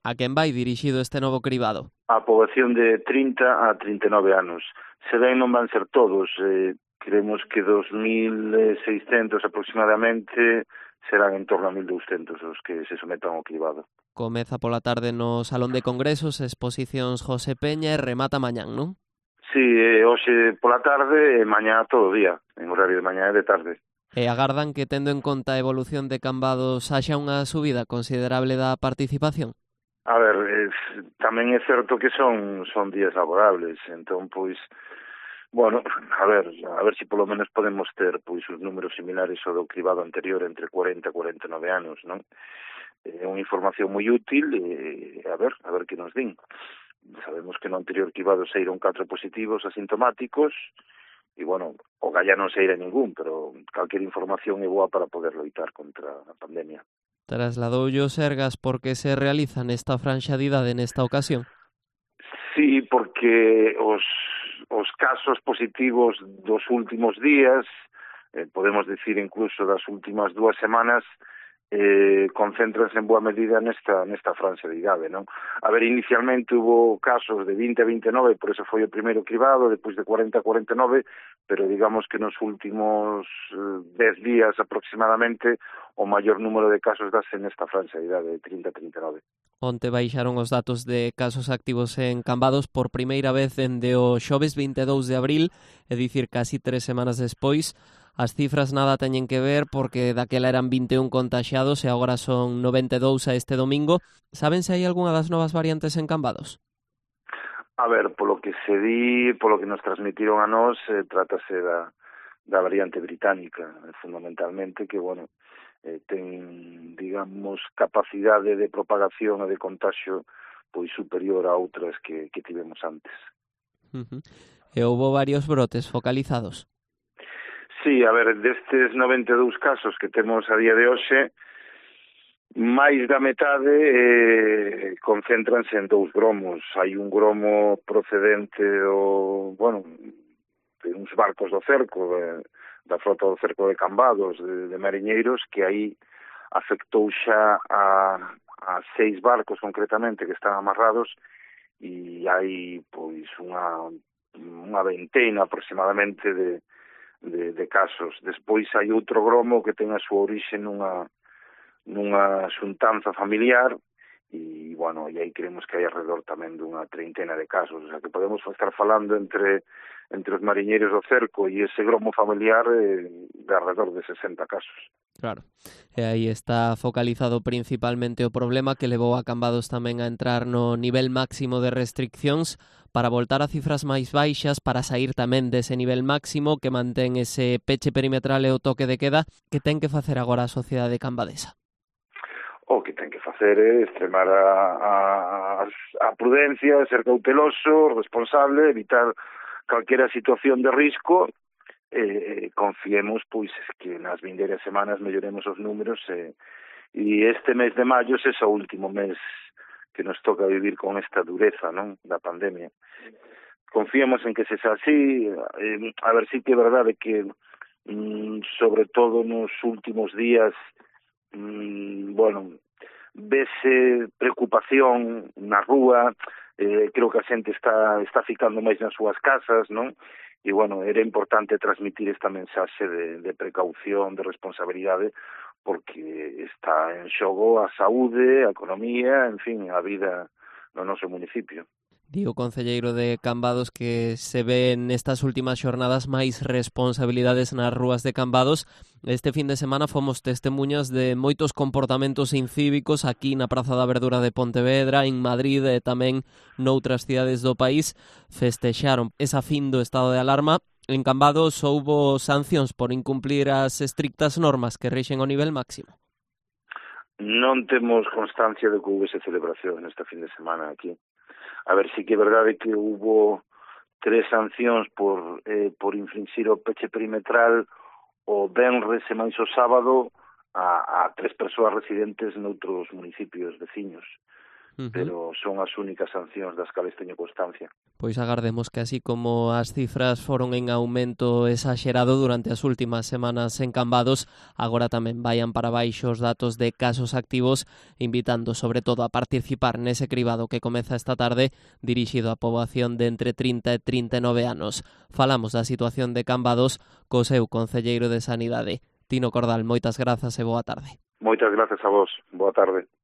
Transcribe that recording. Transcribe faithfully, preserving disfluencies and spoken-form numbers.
A quen vai dirixido este novo cribado? A poboación de trinta a trinta e nove anos. Se ben non van ser todos, eh, creemos que dos mil seiscentos aproximadamente serán en torno a mil douscentos os que se sometan ao cribado. Comeza pola tarde no Salón de Congresos, exposicións José Peña e remata mañán, non? Sí, eh, hoxe pola tarde e mañá todo o día, en horario de mañá e de tarde. E agardan que, tendo en conta a evolución de Cambados, haxa unha subida considerable da participación? A ver, eh, tamén é certo que son son días laborables, entón, pois, bueno, a ver, a ver se si polo menos podemos ter pois os números similares ao do cribado anterior entre cuarenta e cuarenta e nove anos, non? É unha información moi útil e a ver, a ver que nos din. Sabemos que no anterior cribado saíron catro positivos asintomáticos e, bueno, o galla non saíra ningún, pero calquer información é boa para poder loitar contra a pandemia. Trasladoulle o Sergas porque se realiza nesta franxa de idade nesta ocasión? Sí, porque os, os casos positivos dos últimos días, eh, podemos decir incluso das últimas dúas semanas, eh, concéntranse en boa medida nesta nesta franxa de idade, non? A ver, inicialmente hubo casos de vinte a vinte e nove, por eso foi o primeiro cribado, depois de cuarenta a cuarenta e nove, pero digamos que nos últimos eh, dez días aproximadamente o maior número de casos dase nesta franxa de idade de trinta a trinta e nove. Onte baixaron os datos de casos activos en Cambados por primeira vez dende o xoves vinte e dous de abril, é dicir, casi tres semanas despois. As cifras nada teñen que ver porque daquela eran vinte e un contaxiados e agora son noventa e dous a este domingo. Saben se hai algunha das novas variantes en Cambados? A ver, polo que se di, polo que nos transmitiron a nós, eh, trátase da, da variante británica, fundamentalmente, que, bueno, eh, ten, digamos, capacidade de propagación e de contagio pois superior a outras que, que tivemos antes. Uh-huh. E houbo varios brotes focalizados? Sí, a ver, destes noventa e dous casos que temos a día de hoxe, máis da metade eh, concéntranse en dous gromos. Hai un gromo procedente do, bueno, de uns barcos do cerco, de, da frota do cerco de Cambados, de, de mariñeiros, que aí afectou xa a, a seis barcos concretamente que están amarrados e hai pois unha, unha veintena aproximadamente de De, de casos. Despois hai outro gromo que ten a súa orixe nunha, nunha xuntanza familiar e, bueno, e aí creemos que hai alrededor tamén dunha treintena de casos, o sea que podemos estar falando entre entre os mariñeiros do cerco e ese gromo familiar eh, de alrededor de sesenta casos. Claro, e aí está focalizado principalmente o problema que levou a Cambados tamén a entrar no nivel máximo de restriccións para voltar a cifras máis baixas, para sair tamén dese nivel máximo que mantén ese peche perimetral e o toque de queda. Que ten que facer agora a sociedade cambadesa? O que ten que facer é extremar a, a, a prudencia, ser cauteloso, responsable, evitar calquera situación de risco. Eh, confiemos pois que nas vindeiras semanas melloremos os números e, e este mes de maio é o último mes que nos toca vivir con esta dureza, non, da pandemia. Confiemos en que se xa así, eh, a ver si que é verdade que mm, sobre todo nos últimos días mm, bueno, vese preocupación na rúa, eh, creo que a xente está está ficando máis nas súas casas, non? E, bueno, era importante transmitir esta mensaxe de, de precaución, de responsabilidade, porque está en xogo a saúde, a economía, en fin, a vida no noso municipio. Di o concelleiro de Cambados que se ve nestas últimas xornadas máis responsabilidades nas rúas de Cambados. Este fin de semana fomos testemunhas de moitos comportamentos incívicos aquí na Praza da Verdura de Pontevedra, en Madrid e tamén noutras cidades do país. Festexaron esa fin do estado de alarma. En Cambados houbo sancións por incumplir as estrictas normas que rixen o nivel máximo. Non temos constancia de que houvese celebración nesta fin de semana aquí. A ver, si que é verdade que hubo tres sancións por, eh, por infringir o peche perimetral o venres e máis o sábado a, a tres persoas residentes noutros municipios veciños. Uh-huh. Pero son as únicas sancións das cales teño constancia. Pois agardemos que así como as cifras foron en aumento exagerado durante as últimas semanas en Cambados, agora tamén vayan para baixo os datos de casos activos, invitando sobre todo a participar nese cribado que comeza esta tarde, dirixido á poboación de entre trinta e trinta e nove anos. Falamos da situación de Cambados co seu concelleiro de Sanidade. Tino Cordal, moitas grazas e boa tarde. Moitas grazas a vos. Boa tarde.